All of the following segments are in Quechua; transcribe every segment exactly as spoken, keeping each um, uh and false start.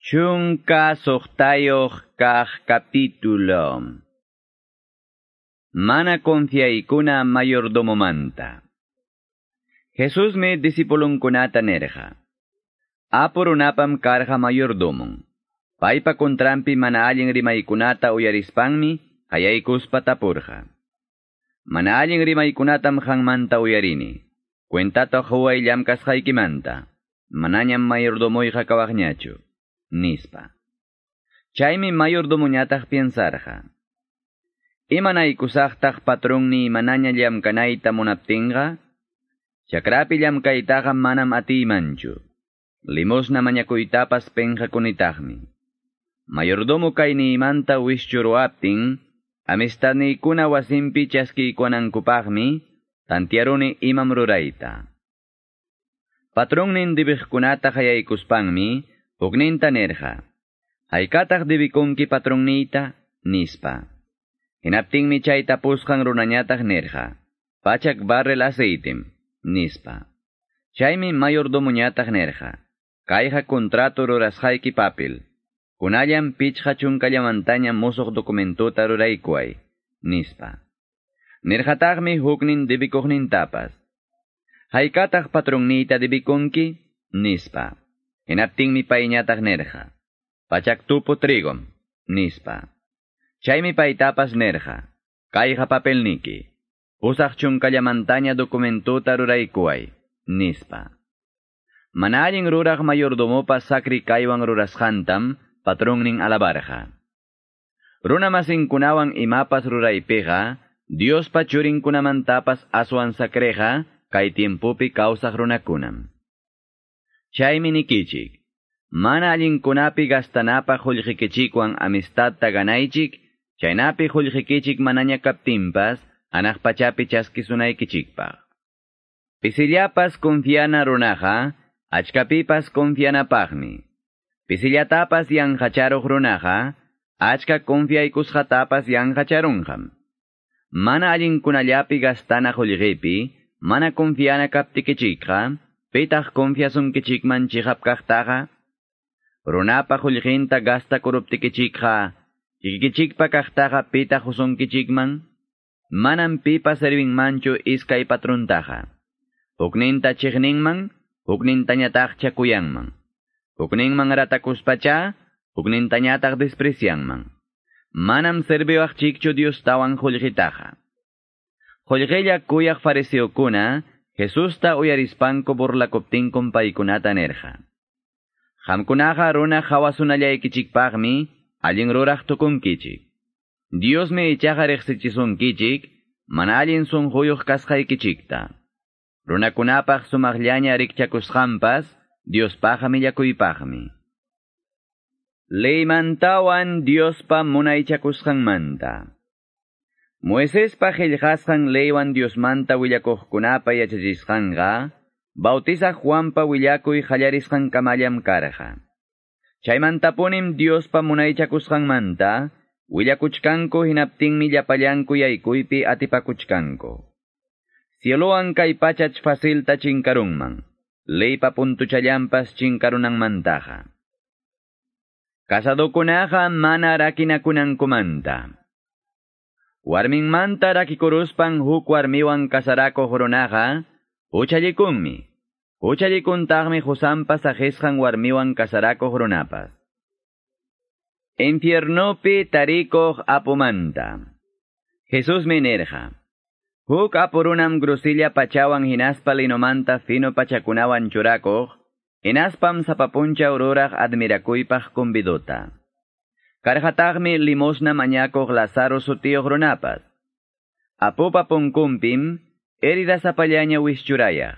Chunka suqtayuq kaq capítulo. Mana confiaykuna mayordomomanta. Jesusmi discipulunkunata nerqa. Apu runapam karqa mayordomon. Paypa kontranpi mana allin rimaykunata uyarispanmi qayaykuspa tapurqa. Mana allin rimaykunatam qanmanta uyarini. Cuentata quway llamkasqaykimanta. Manañam mayordomoyqa kawaqñachu. Nispa. Chaymi mayordomoñataq piensarqa. Imanaykusaqtaq patronniy manaña llamkanayta munaptinqa? Chakrapi llamkaytaqa manam atiymanchu. Limosna mañakuytapas penqakunitaqmi. Mayordomo kayniymanta wischuruaptin, amistadniykuna wasinpi chaskiykunankupaqmi, tantiaruni imam rurayta. Patronnin debiqkunata qayaykuspanmi, hukninta nerqa. Haykataq debikunki patronniyta, nispa. Hinaptinmi chay tapusqan runañataq nerqa. Pachak barril aceitem, nispa. Chaymi mayordomoñataq nerqa. Kayqa contrato rurasqayki papel. Kunallan pichqa chunkallamantaña musuq documentota ruraykuway, nispa. Nirqataqmi huknin debikuqnintapas. Haykataq patronniyta debikunki, nispa. Hinaptinmi payñataq nerqa. Pachak tupu trigom, nispa. Chaymi paytapas nerqa. Kayqa papelniki. Pusaq chunkallamantaña documentota ruraykuway, nispa. Mana allin ruraq mayordomopa sakri kaywan rurasqantam patronnin alabarqa. Runa masinkunawan imapas ruraypiqa, Diospa churinkunamantapas aswan sakreqa kay tiempopi kawsaq runakunam. Chaymi nikichik, mana allinkunapi gastanapaq qullqikichikwan amistadta ganaychik, chaynapi qullqikichik manaña kaptinpas, hanaq pachapi chaskisunaykichikpaq. Pisillapas confiana runaqa, achkapipas confianapaqmi. Pisillatapas yanqacharuq runaqa, achka confiaykusqatapas yanqacharunqam. Mana allinkunallapi gastana qullqipi, mana confiana kaptikichikqa, pitaq confiasunkichikman chiqap kaqtaqa? Runapa qullqinta gastakuruptikichikqa, kikikichikpa kaqtaqa pitaq qusunkichikman? Manam pipas servinmanchu iskay patrontaqa. Hukninta chiqninman, huknintañataqcha kuyanman. Hukninman ratakuspacha, huknintañataq desprecianman. Manam serviwaqchikchu Diostawan qullqitaqa. Qullqilla kuyaq fariseokuna, Jesusta uyarispanku burlakuptinkum paykunata nerqa. Qamkunaqa runa qawasunallaykichikpaqmi allin ruraq tukunkichik. Diosmi ichaqa riqsichisunkichik mana allin sunquyuq kasqaykichikta. Runakunapaq sumaqllaña rikchakusqanpas Diospaqqa millakuypaqmi. Leymantawan Diospa munaychakusqanmanta. Moisespa qillqasqan leywan Diosmanta willakuqkunapa yachachisqanqa, Bautizaq Juanpa willakuy qallarisqankamallam karqa. Chaymantapunim Diospa munaychakusqanmanta willakuchkanku hinaptinmi llapallanku yaykuypi atipakuchkanku. Cielowan kay pachach facilta chinkarunman, leypa puntuchallanpas chinkarunanmantaqa. Casadokunaqa mana rakinakunankumanta. Warminmanta rakikuruspan huk warmiwan kasarakuq runaqa, huchallikunmi. Huchallikuntaqmi qusanpa saqisqan warmiwan kasarakuq runapas. Infiernopi tarikuq apumanta. Jesusmi nirqa. Huk apu runam grosilla pachawan hinaspa linomanta fino pachakunawan churakuq, hinaspam sapa punchaw ruraq admirakuypaq convidota. Karqataqmi limosna mañakuq Lazaro sutiyuq runapas. Apupa punkunpim heridasapallaña wischurayaq.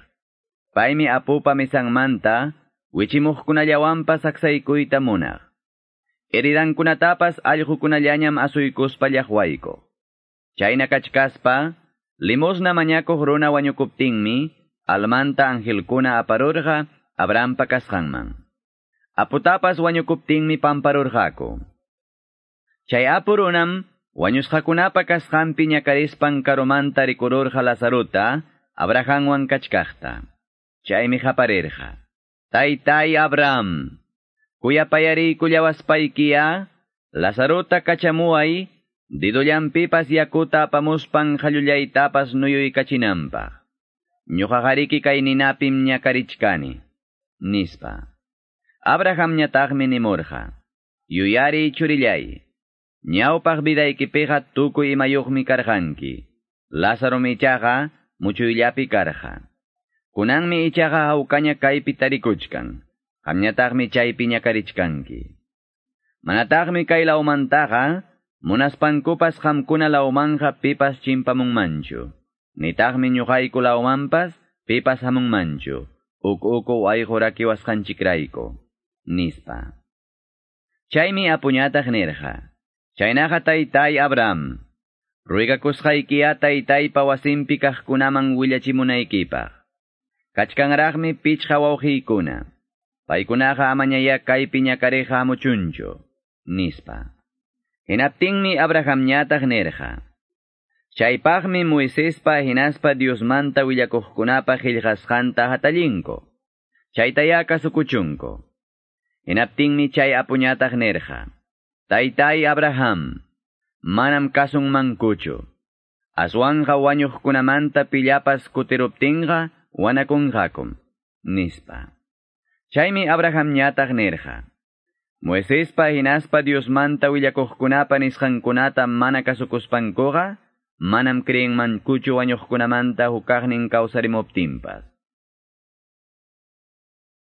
Paymi apupa mesanmanta wichimuqkunallawanpas aksaykuyta munaq. Heridankunatapas allqukunallañam asuykuspa llaqwaykuq. Chayna kachkaspa, limosna mañakuq runa wañukuptinmi, almanta angelkuna aparurqa Abrahampa kasqanman. Aputapas wañukuptinmi pamparurqaku. Chay apu runam wañusqakunapa kasqanpi ñakarispan karumanta rikururqa Lazarota, Abrahamwan kachkaqta. Chaymi qaparirqa. Taytay Abraham, Kuyapayariykullawaspaykiyá, Lazarota kachamuway, didollanpipas yakuta apamuspan qallullaytapas nuyuykachinanpaq. Ñuqaqariki kay ninapim ñakarichkani, nispa. Abrahamñataqmi nimurqa, yuyariy churillay, ñawpaq vidaykipiqa tukuy imayuqmi karqanki. Lázaro ichaqa muchuyllapi karqa. Kunanmi ichaqa hawkaña kaypi tarikuchkan, qamñataqmi chaypi ñakarichkanki. Manataqmi kay lawmantaqa, munaspankupas qamkuna lawmanja pipas chimpamunmanchu. Nitaqmi ñuqayku lawmanpas pipas hamunmanchu. Uk uku wayqu rakiwasqanchikrayku, nispa. Chaymi apuñataq nirqa, chaynaqa taytay Abraham, ruegakusqaykiya taytaypa wasinpi kaqkunaman willachimunaykipaq. Kachkanraqmi pichqa wawqiykuna. Paykunaqa amañaya kaypi ñakariqa hamuchunchu, nispa. Hinaptinmi Abrahamñataq nirqa, chaypaqmi Moisespa hinaspa Diosmanta willakuqkunapa qillqasqanta hatallinku. Chaytaya kasukuchunku. Hinaptinmi chay apuñataq nirqa, Taytay Abraham, manam kasunmankuchu. Aswanqa wañuqkunamanta pillapas kutiruptinqa wanakunqakum, nispa. Chaymi Abrahamñataq nirqa, Moisespa hinaspa Diosmanta willakuqkunapa nisqankunata mana kasukuspankuqa, manam creenmankuchu wañuqkunamanta hukaqnin kawsarimuptinpas.